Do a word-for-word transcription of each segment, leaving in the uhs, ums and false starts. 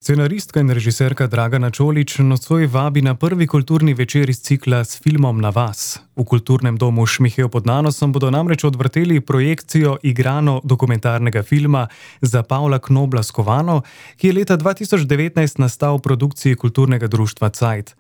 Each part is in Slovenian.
Scenaristka in režiserka Dragana Čolić nocoj vabi na prvi kulturni večer iz cikla S filmom na vas. V kulturnem domu Šmihel pod Nanosom bodo namreč odvrteli projekcijo igrano-dokumentarnega filma Za Pavla Knobla Skovano, ki je leta dva tisoč devetnajst nastal v produkciji kulturnega društva Cajt.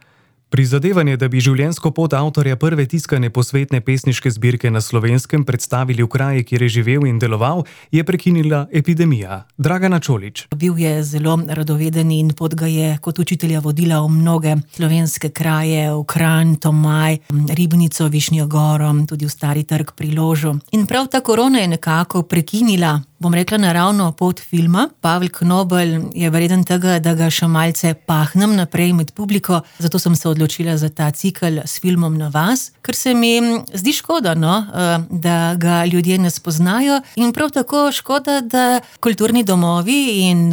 Prizadevanje, da bi življenjsko pot avtorja prve tiskane posvetne pesniške zbirke na Slovenskem predstavili v kraji, kjer je živel in deloval, je prekinila epidemija. Dragana Čolić. Bil je zelo radoveden in pot ga je kot učitelja vodila v mnoge slovenske kraje, v Kranj, Tomaj, Ribnico, Višnjo Goro, tudi v Stari trg pri Ložu. In prav ta korona je nekako prekinila, bom rekla, naravno pot filma. Pavel Knobel je vreden tega, da ga še malce pahnem naprej med publiko, zato sem se odločila za ta cikel S filmom na vas, ker se mi zdi škoda, no, da ga ljudje ne spoznajo in prav tako škoda, da kulturni domovi in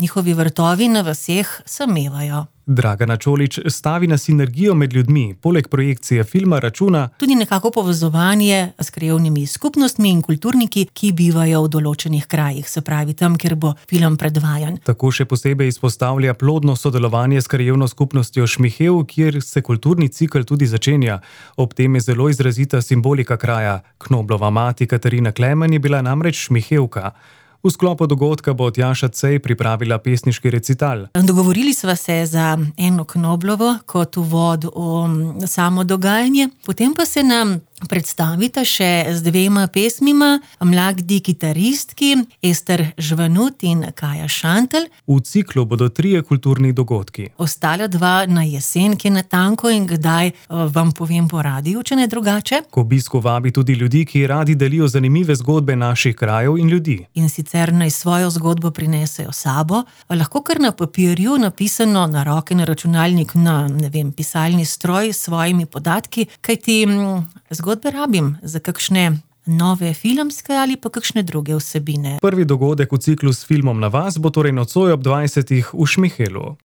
njihovi vrtovi na vaseh samevajo. Dragana Čolić stavi na sinergijo med ljudmi, poleg projekcije filma računa tudi nekako povezovanje s krajevnimi skupnostmi in kulturniki, ki bivajo v določenih krajih, se pravi tam, kjer bo film predvajan. Tako še posebej izpostavlja plodno sodelovanje s krajevno skupnostjo Šmihel, kjer se kulturni cikel tudi začenja. Ob tem je zelo izrazita simbolika kraja. Knoblova mati Katarina Klemen je bila namreč Šmihevka. V sklopu dogodka bo Tjaša Cej pripravila pesniški recital. Dogovorili sva se za eno Knoblovo kot uvod v samo dogajanje, potem pa se nam predstavita še z dvema pesmima mladi kitaristki Ester Žvanut in Kaja Šantelj. V ciklu bodo trije kulturni dogodki. Ostala dva na jesen, ki je natanko in kdaj vam povem po radiju, če ne drugače. K obisku vabi tudi ljudi, ki radi delijo zanimive zgodbe naših krajev in ljudi. In sicer naj svojo zgodbo prinesejo sabo, lahko kar na papirju, napisano na roke, na računalnik, na, ne vem, pisalni stroj s svojimi podatki, kajti zgodbe rabim za kakšne nove filmske ali pa kakšne druge vsebine. Prvi dogodek v ciklu S filmom na vas bo torej nocoj ob dvajsetih v Šmihelu.